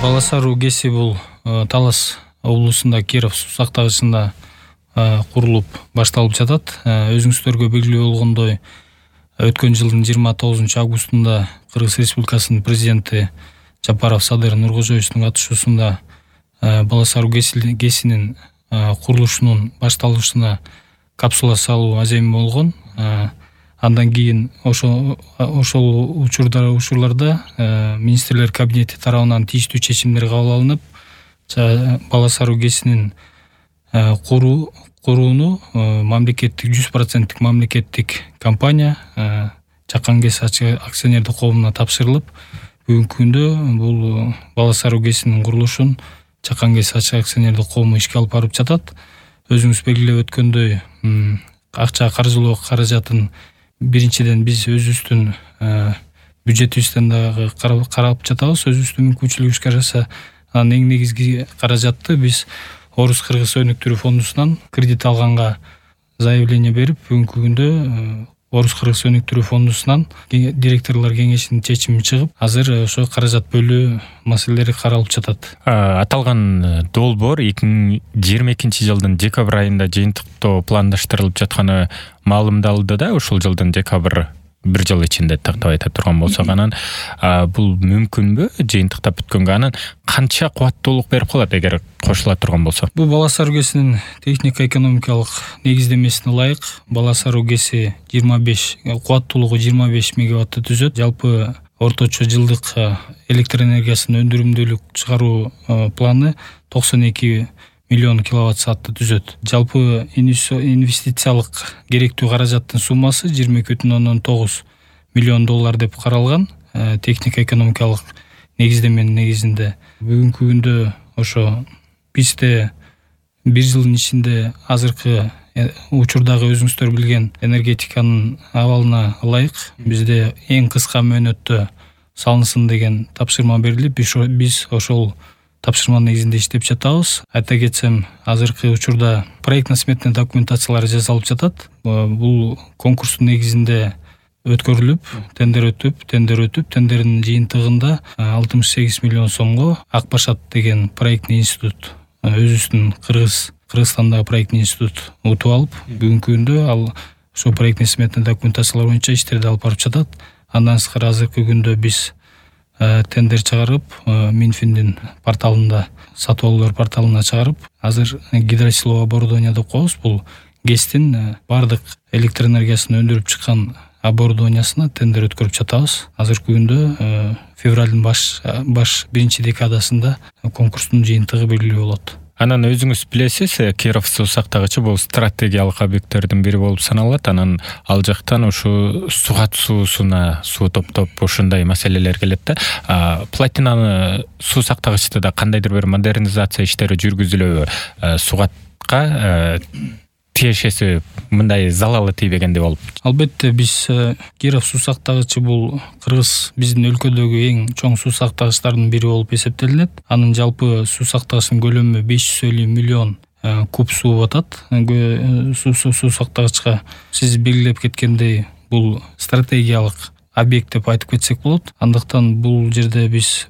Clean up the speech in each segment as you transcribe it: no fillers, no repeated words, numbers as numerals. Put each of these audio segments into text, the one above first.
Бала Саруу ГЭСи бул Талас облусунда Киров суу сактагычында курулуп башталып жатат. Өзүңүздөргө белгилүү болгондой, өткөн жылдын 29 августунда Кыргыз Республикасынын президенти Жапаров Садыр Нуркожоевичтин катышуусунда Бала Саруу ГЭСинин курулушунун башталышына капсула салуу аземи болгон. Андан кийин ошол учурларда министрлер кабинети тарабынан тийиштүү чечимдер кабыл алынып, Бала Саруу ГЭСинин курууну мамлекеттик 100% мамлекеттик компания Чакан ГЭС акционердик коомуна тапшырылып, бүгүнкү күндө бул Бала Саруу ГЭСинин курулушун Чакан ГЭС акционердик коому ишке алып барып жатат. Өзүңүз белгилеп өткөндөй, акча каржылоо каражатын биринчиден биз өзүбүздүн бюджетибизден дагы карап жатабыз. Өзүбүздүн мүмкүнчүлүгүбүз караса, анын эң негизги каражатты биз Орус-Кыргыз өнүктүрүү фондунан кредит алганга заявление берип, бүгүнкү күндө Орус-Кыргыз өнүктүрүү фондунан директорлор кеңешинин чечими чыгып, азыр ошо каражат бөлүү маселелери каралып жатат. Аталган долбоор 2022 жылдын декабрь айында жыйынтыктоо пландаштырылып жатканы маалымдалды да, ушул жылдын декабрь бир жыл ичинде тактап айта турган болсок, анан бул мүмкүнбү жыйынтыктап бүткөнгө? Анан канча кубаттуулук берип калат эгер кошула турган болсо? Бул Бала Саруу ГЭСинин технико-экономикалык негиздемесине ылайык Бала Саруу ГЭСи кубаттуулугу 25 мегаватты түзөт. Жалпы орточо жылдык электр энергиясынын өндүрүмдүүлүк чыгаруу планы 92 миллион киловатт саатты түзөт. Жалпы инвестициялык керектүү каражаттын суммасы 22,9 миллион доллар деп каралган. Технико-экономикалык негиздеменин негизинде бүгүнкү күндө ошо бизде бир жылдын ичинде азыркы учурдагы өзүңүздөр билген энергетиканын абалына ылайык бизде эң кыска мөөнөттө салынсын деген тапшырма берилип, биз ошол тапшырманын негизинде иштеп жатабыз. Айта кетсем, азыркы учурда проектно-сметный документациялар жасалып жатат. Бул конкурстун негизинде өткөрүлүп, тендер өтүп, тендердин жыйынтыгында 68 миллион сомго Акбашат деген проектный институт, өзүбүздүн Кыргызстандагы проектный институт утуп алып, бүгүнкү күндө ал ошо проектно-сметный документациялар боюнча иштерди алып барып жатат. Андан сырткары азыркы күндө биз тендер чыгарып, Минфиндин порталында, сатып алуулар порталына чыгарып, азыр гидросиловое оборудование деп коебуз. Бул ГЭСтин бардык электр энергиясын өндүрүп чыккан оборудованиясына тендер өткөрүп жатабыз. Азыркы күндө февралдын баш биринчи декадасында конкурстун жыйынтыгы белгилүү болот. Анан өзүңүз билесиз, Киров суу сактагычы бул стратегиялык объекттердин бири болуп саналат. Анан ал жактан ушу сугат суусуна суу топтоп ушундай маселелер келет да. Платинаны суу сактагычты да кандайдыр бир модернизация иштери жүргүзүлөбү? Сугатка тиешеси мындай залалы тийбегенде болуп? Албетте, биз Киров суу сактагычы бул биздин өлкөдөгү эң чоң суу сактагычтардын бири болуп эсептелинет. Анын жалпы суу сактагычтын көлөмү 550 миллион куб суу атат. Суу сактагычка сиз белгилеп кеткендей, бул стратегиялык объект деп айтып кетсек болот. Андыктан бул жерде биз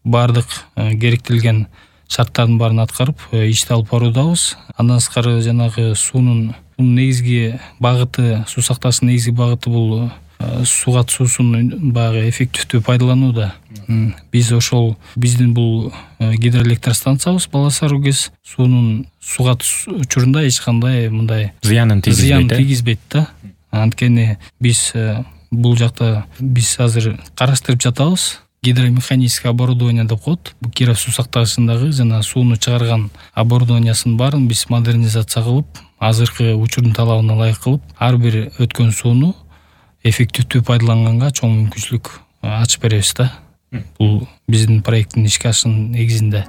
бардык керектелген шарттардын баарын аткарып, ишти алып баруудабыз. Андан сырткары жанагы суунун негизги багыты, суу сактагычтын негизги багыты бул сугат суусун баягы эффективдүү пайдаланууда. Биз ошол биздин бул гидроэлектростанциябыз Бала Саруу ГЭС суунун сугат учурунда эч кандай мындай зыянын тийгизбейт да. Анткени биз бул жакта биз азыр караштырып жатабыз. Гидромеханическое оборудование деп коет. Бул Киров суу сактагычындагы жана сууну чыгарган оборудованиясын баарын биз модернизация кылып, азыркы учурдун талабына ылайык кылып, ар бир өткөн сууну эффективдүү пайдаланганга чоң мүмкүнчүлүк ачып беребиз да. Бул биздин проекттин ишке ашуунун негизинде.